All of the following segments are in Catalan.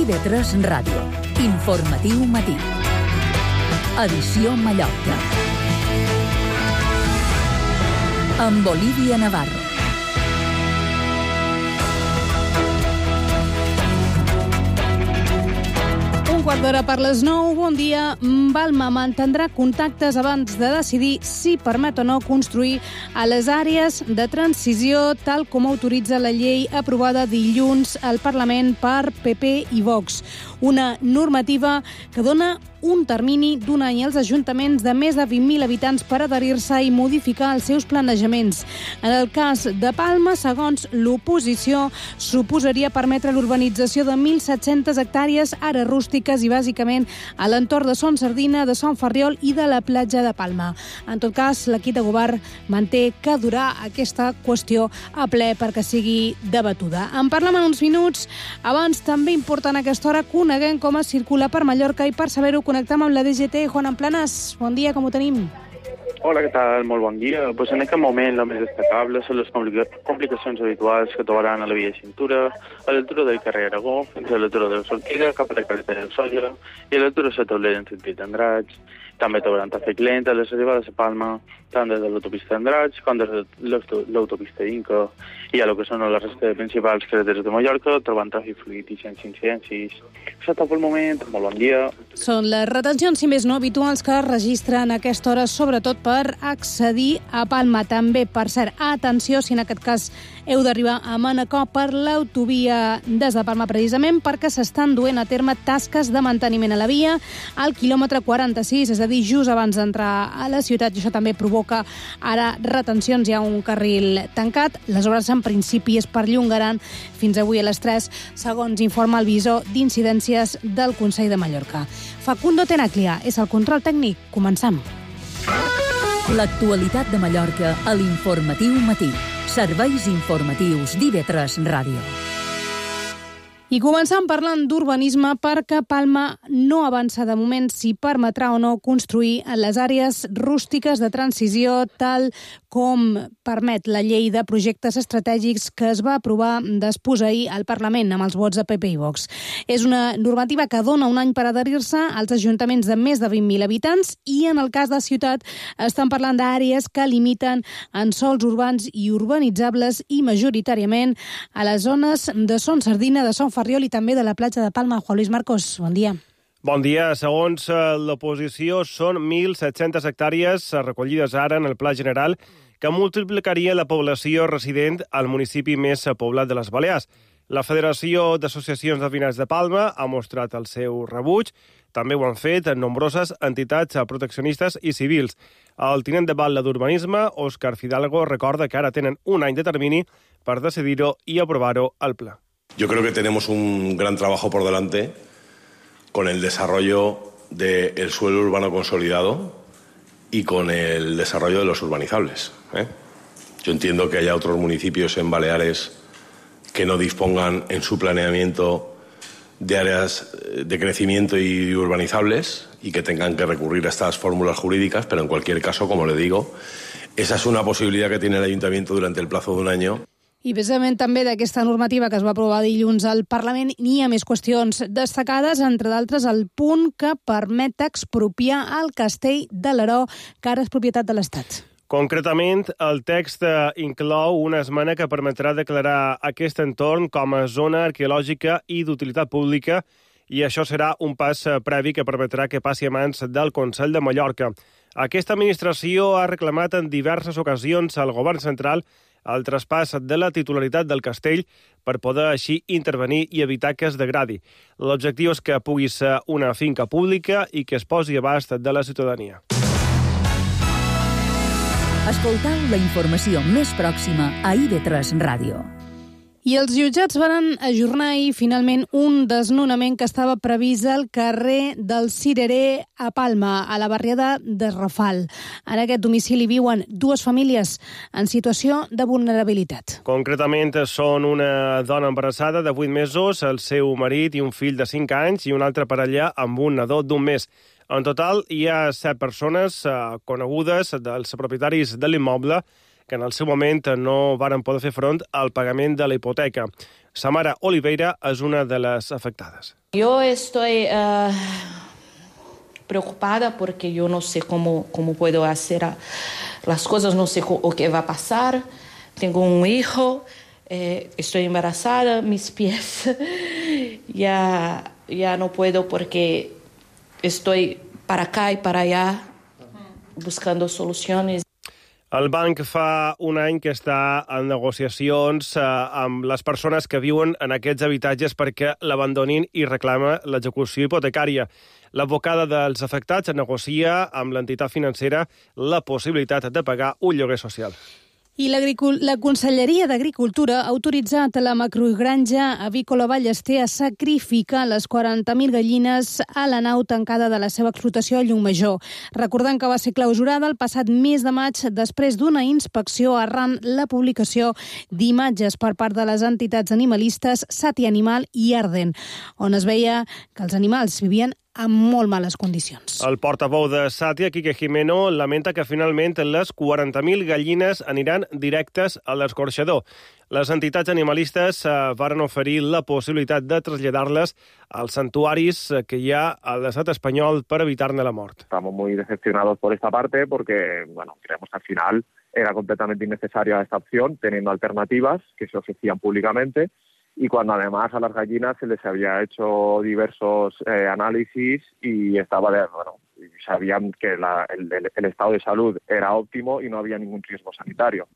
IB3 Ràdio. Informatiu matí. Edició Mallorca. Amb Olivia Navarro. Un quart d'hora per les 9. Bon dia. Palma mantindrà contactes abans de decidir si permet o no construir a les àrees de transició tal com autoritza la llei aprovada dilluns al Parlament per PP i Vox. Una normativa que dona un termini d'un any als ajuntaments de més de 20.000 habitants per adherir-se i modificar els seus planejaments. En el cas de Palma, segons l'oposició, suposaria permetre l'urbanització de 1.700 hectàrees, ara rústiques i bàsicament a l'entorn de Son Sardina, de Son Ferriol i de la platja de Palma. En tot cas, l'equip de govern manté que durà aquesta qüestió a ple perquè sigui debatuda. En parlem en uns minuts. Abans, també important a aquesta hora, coneguem com es circula per Mallorca i per saber-ho connectem amb la DGT. Juan Planas, bon dia, com ho tenim? Hola, què tal? Molt bon dia. Pues en aquest moment el més destacable són les complicacions habituals que trobaran a la via de cintura, a l'altura del carrer Aragó, fins a l'altura de la sortida, cap a la carretera del Sóller i a l'altura de la Taulera en sentit d'Andratx. També trobaran tràfic lent a les arribades a Palma, tant des de l'autopista d'Andratx com des de l'autopista Inca i a lo que són les restes principals carreteres de Mallorca, trobant tràfic fluid i sense incidències. Això tot pel moment. Molt bon dia. Són les retencions, si més no, habituals que es registren a aquesta hora, sobretot per accedir a Palma. També, per cert, atenció, si en aquest cas heu d'arribar a Manacor per l'autovia des de Palma, precisament perquè s'estan duent a terme tasques de manteniment a la via al quilòmetre 46, és a dir, just abans d'entrar a la ciutat, i això també provoca ara retencions. Hi ha un carril tancat. Les obres en principi es perllongaran fins avui a les 3, segons informa el visor d'incidències del Consell de Mallorca. Facundo Tenaglia és el control tècnic. Comencem. L'actualitat de Mallorca a l'Informatiu Matí. Serveis informatius d'IB3 Ràdio. I començam parlant d'urbanisme perquè Palma no avança de moment si permetrà o no construir en les àrees rústiques de transició tal com permet la llei de projectes estratègics que es va aprovar ahir al Parlament amb els vots de PP i Vox. És una normativa que dona un any per adherir-se als ajuntaments de més de 20.000 habitants i en el cas de ciutat estan parlant d'àrees que limiten en sòls urbans i urbanitzables i majoritàriament a les zones de Son Sardina, de Son Ferriol i també de la platja de Palma. Juan Luis Marcos, bon dia. Bon dia. Segons l'oposició, són 1.700 hectàrees recollides ara en el Pla General que multiplicaria la població resident al municipi més poblat de les Balears. La Federació d'Associacions de Veïnats de Palma ha mostrat el seu rebuig. També ho han fet nombroses entitats proteccionistes i civils. El tinent de batlle d'Urbanisme, Òscar Fidalgo, recorda que ara tenen un any de termini per decidir-ho i aprovar-ho al Pla. Yo creo que tenemos un gran trabajo por delante con el desarrollo del suelo urbano consolidado y con el desarrollo de los urbanizables. Yo entiendo que haya otros municipios en Baleares que no dispongan en su planeamiento de áreas de crecimiento y urbanizables y que tengan que recurrir a estas fórmulas jurídicas, pero en cualquier caso, como le digo, esa es una posibilidad que tiene el Ayuntamiento durante el plazo de un año. I precisament també d'aquesta normativa que es va aprovar dilluns al Parlament n'hi ha més qüestions destacades, entre d'altres el punt que permet expropiar el castell de l'Aró, que ara és propietat de l'Estat. Concretament, el text inclou una esmena que permetrà declarar aquest entorn com a zona arqueològica i d'utilitat pública i això serà un pas previ que permetrà que passi a mans del Consell de Mallorca. Aquesta administració ha reclamat en diverses ocasions al govern central el traspàs de la titularitat del castell per poder així intervenir i evitar que es degradi. L'objectiu és que pugui ser una finca pública i que es posi a abast de la ciutadania. Escoltau la informació més pròxima a IB3 Ràdio. I els jutjats van ajornar ahir finalment un desnonament que estava previst al carrer del Cirerer a Palma, a la barriada de Rafal. En aquest domicili viuen dues famílies en situació de vulnerabilitat. Concretament són una dona embarassada de 8 mesos, el seu marit i un fill de 5 anys i una altra parella amb un nadó d'1 mes. En total hi ha 7 persones conegudes dels propietaris de l'immoble que en el seu moment no varen poder fer front al pagament de la hipoteca. Samara Oliveira és una de les afectades. Yo estoy preocupada porque yo no sé cómo puedo hacer las cosas, no sé o qué va a pasar. Tengo un hijo, estoy embarazada, mis pies ya no puedo porque estoy para acá y para allá buscando soluciones. El banc fa un any que està en negociacions amb les persones que viuen en aquests habitatges perquè l'abandonin i reclama l'execució hipotecària. L'advocada dels afectats negocia amb l'entitat financera la possibilitat de pagar un lloguer social. I la Conselleria d'Agricultura ha autoritzat a la macrogranja avícola Ballester a sacrificar les 40.000 gallines a la nau tancada de la seva explotació a Llucmajor. Recordant que va ser clausurada el passat mes de maig després d'una inspecció arran la publicació d'imatges per part de les entitats animalistes Sati Animal i Arden, on es veia que els animals vivien en molt males condicions. El portaveu de Sàtia, Quique Jimeno, lamenta que finalment les 40.000 gallines aniran directes a l'escorxador. Les entitats animalistes varen oferir la possibilitat de traslladar-les als santuaris que hi ha a l'estat espanyol per evitar-ne la mort. Estamos muy decepcionados por esta parte porque, creemos que al final era completamente innecesaria esta opción, teniendo alternativas que se ofrecían públicamente. Y cuando además a las gallinas se les había hecho diversos análisis y sabían que el estado de salud era óptimo y no había ningún riesgo sanitario.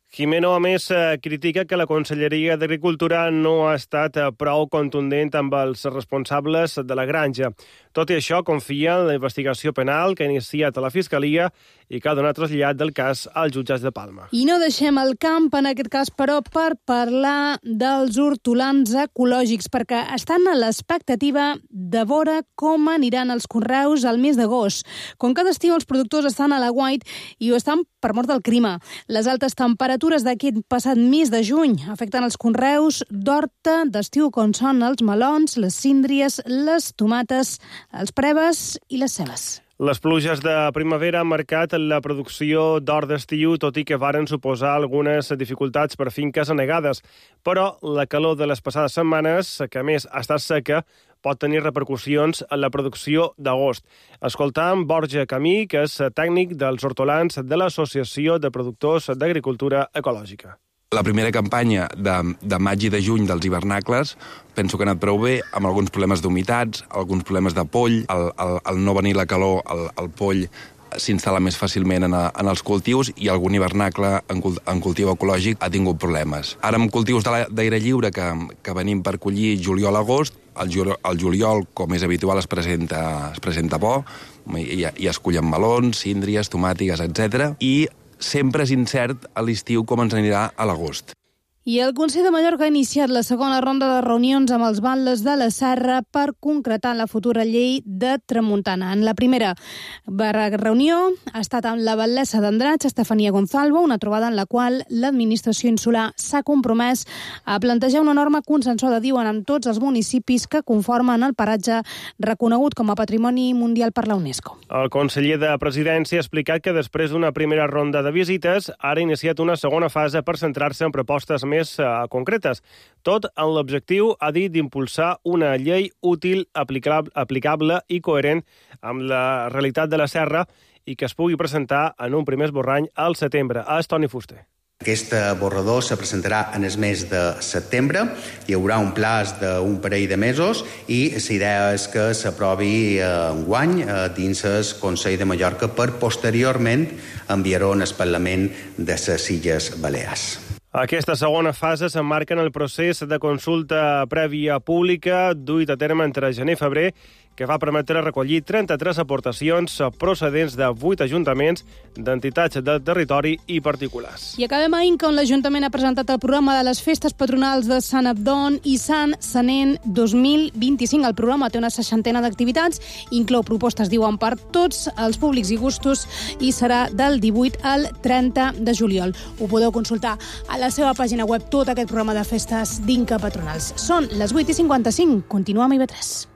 Jimeno, a més, critica que la Conselleria d'Agricultura no ha estat prou contundent amb els responsables de la granja. Tot i això, confia en la investigació penal que ha iniciat a la Fiscalia i que ha donat trasllat del cas als jutjats de Palma. I no deixem el camp, en aquest cas, però, per parlar dels hortolans ecològics, perquè estan a l'expectativa de veure com aniran els conreus al mes d'agost. Com cada estiu, els productors estan a l'aguait i ho estan per mort del clima. Les altes temperatures d'aquest passat mes de juny afecten els conreus d'horta d'estiu, com són els melons, les síndries, les tomates, els preves i les cebes. Les pluges de primavera han marcat la producció d'hort d'estiu, tot i que varen suposar algunes dificultats per finques anegades. Però la calor de les passades setmanes, que a més ha estat seca, pot tenir repercussions en la producció d'agost. Escoltam Borja Camí, que és tècnic dels hortolans de l'Associació de Productors d'Agricultura Ecològica. La primera campanya de maig i de juny dels hivernacles penso que ha anat prou bé, amb alguns problemes d'humitats, alguns problemes de poll, al no venir la calor, el poll s'instal·la més fàcilment en els cultius i algun hivernacle en cultiu ecològic ha tingut problemes. Ara amb cultius d'aire lliure que venim per collir juliol-agost, el juliol, com és habitual, es presenta bo, i es cullen melons, síndries, tomàtiques, etc. I sempre és incert a l'estiu com ens anirà a l'agost. I el Consell de Mallorca ha iniciat la segona ronda de reunions amb els batlles de la Serra per concretar la futura llei de tramuntana. En la primera reunió ha estat amb la batlessa d'Andratx, Estefania Gonzalvo, una trobada en la qual l'administració insular s'ha compromès a plantejar una norma consensuada, diuen, amb tots els municipis que conformen el paratge reconegut com a Patrimoni Mundial per la UNESCO. El conseller de Presidència ha explicat que després d'una primera ronda de visites ara ha iniciat una segona fase per centrar-se en propostes més concretes. Tot en l'objectiu, ha dit, d'impulsar una llei útil, aplicable i coherent amb la realitat de la Serra i que es pugui presentar en un primer esborrany al setembre. És Toni Fuster. Aquest borrador se presentarà en el mes de setembre. Hi haurà un plaç d'un parell de mesos i la idea és que s'aprovi enguany dins el Consell de Mallorca per posteriorment enviar-ho al Parlament de les Illes Balears. Aquesta segona fase s'emmarca en el procés de consulta prèvia pública duit a terme entre gener i febrer, que va permetre recollir 33 aportacions procedents de 8 ajuntaments, d'entitats del territori i particulars. I acabem a Inca, on l'Ajuntament ha presentat el programa de les festes patronals de Sant Abdon i Sant Senén 2025. El programa té una 60 d'activitats, inclou propostes, diuen, per tots els públics i gustos i serà del 18 al 30 de juliol. Ho podeu consultar a la seva pàgina web, tot aquest programa de festes d'Inca patronals. Són les 8:55. Continuem a IB3.